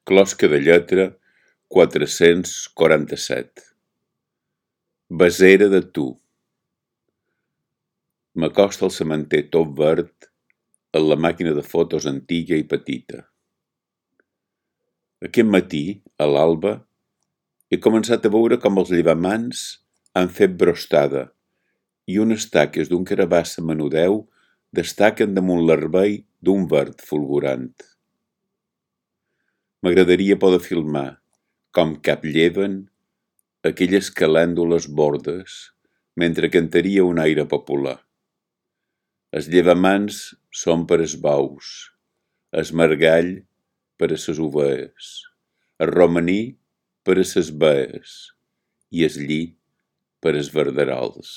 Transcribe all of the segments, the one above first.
Closca de lletra 447. Besera de tu. M'acosta al sementer tot verd en la màquina de fotos antiga i petita. Aquest matí, a l'alba, he començat a veure com els llevamans han fet brostada i unes taques d'un carabassa menudeu destaquen damunt l'herbei d'un verd fulgurant. M'agradaria poder filmar com caplleven aquelles calèndules bordes mentre cantaria un aire popular. Els llevamans són per els bous, el margall per a ses ovelles, el romaní per a ses bees i el lli per als verderols.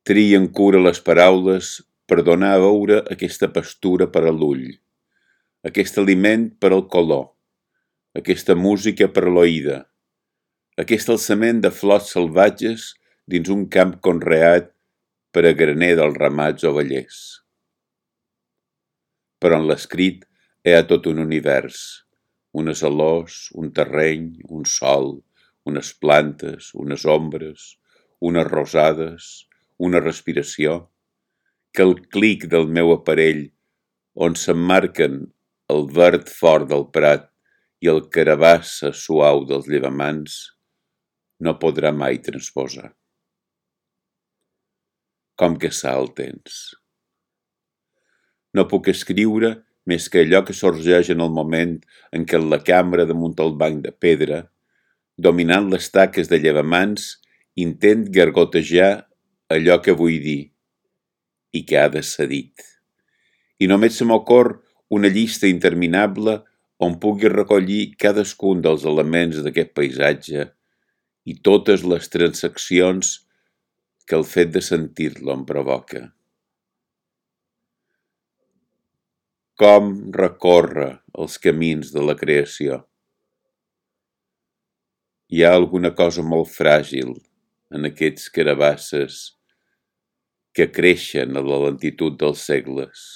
Trien cura les paraules per donar a veure aquesta pastura per a l'ull, aquest aliment per al color, aquesta música per a l'oïda, aquest alçament de flors salvatges dins un camp conreat per a graner dels ramats ovellers. Però en l'escrit hi ha tot un univers, unes olors, un terreny, un sol, unes plantes, unes ombres, unes rosades, una respiració, que el clic del meu aparell, on s'emmarquen el verd fort del prat i el carabassa suau dels llevamans, no podrà mai transposar. Com que sa el temps. No puc escriure més que allò que sorgeix en el moment en què la cambra damunt el banc de pedra, dominant les taques de llevamans, intent gargotejar allò que vull dir i que ha de ser dit. I només se m'ocorre una llista interminable on pugui recollir cadascun dels elements d'aquest paisatge i totes les transaccions que el fet de sentir-lo em provoca. Com recórrer els camins de la creació? Hi ha alguna cosa molt fràgil en aquests carabasses que creixen a la lentitud dels segles.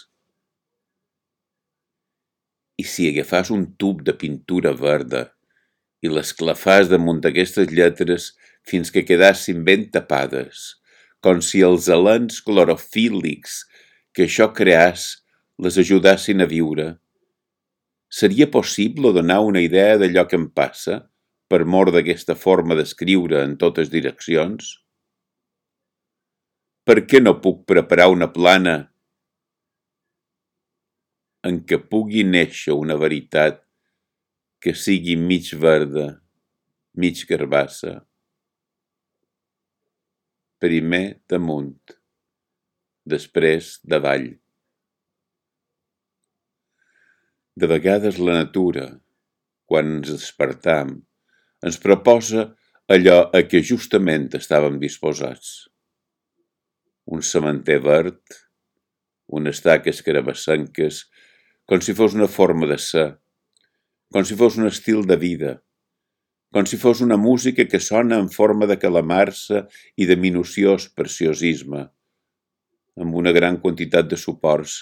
I si agafàs un tub de pintura verda i l'esclafàs damunt d'aquestes lletres fins que quedassin ben tapades, com si els elens clorofíl·lics que això creàs les ajudassin a viure, seria possible donar una idea d'allò que em passa per mor d'aquesta forma d'escriure en totes direccions? Per què no puc preparar una plana en què pugui néixer una veritat que sigui mig verda, mig carbassa? Primer damunt, després davall. De vegades la natura, quan ens despertam, ens proposa allò a què justament estàvem disposats. Un sementer verd, unes taques carabassenques, com si fos una forma de ser, com si fos un estil de vida, com si fos una música que sona en forma de calamarsa i de minuciós preciosisme, amb una gran quantitat de suports,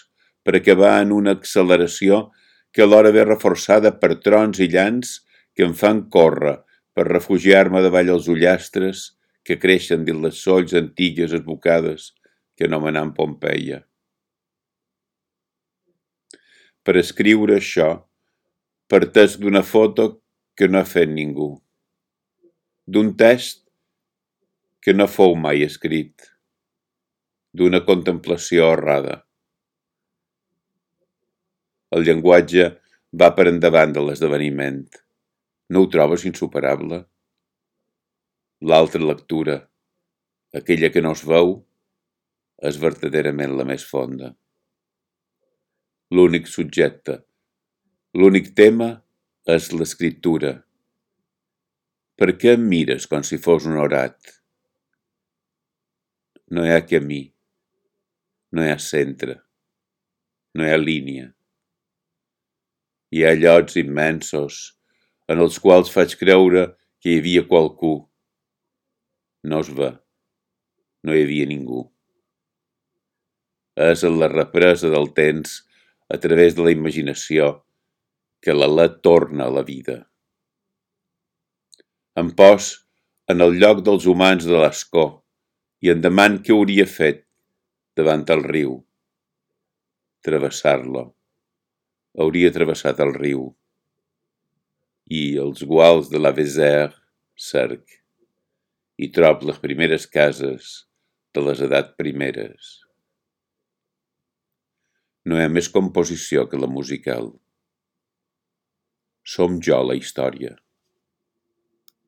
per acabar en una acceleració que alhora ve reforçada per trons i llanç que em fan córrer per refugiar-me davall els ullastres que creixen dins les solls antigues esbocades que anomenam Pompeia. Per escriure això, partesc d'una foto que no ha fet ningú, d'un text que no fou mai escrit, d'una contemplació errada. El llenguatge va per endavant de l'esdeveniment. No ho trobes insuperable? L'altra lectura, aquella que no es veu, és verdaderament la més fonda. L'únic subjecte, l'únic tema és l'escriptura. Per què em mires com si fos un orat? No hi ha camí, no hi ha centre, no hi ha línia. Hi ha llocs immensos en els quals faig creure que hi havia qualcú. No es ve, no hi havia ningú. És en la represa del temps, a través de la imaginació, que l'alè torna a la vida. Em pos en el lloc dels humans de l'escó i em deman què hauria fet davant el riu. Travessar-lo. Hauria travessat el riu. I els guals de la Vézère cerc. I trob les primeres cases de les edats primeres. No hi ha més composició que la musical. Som jo la història.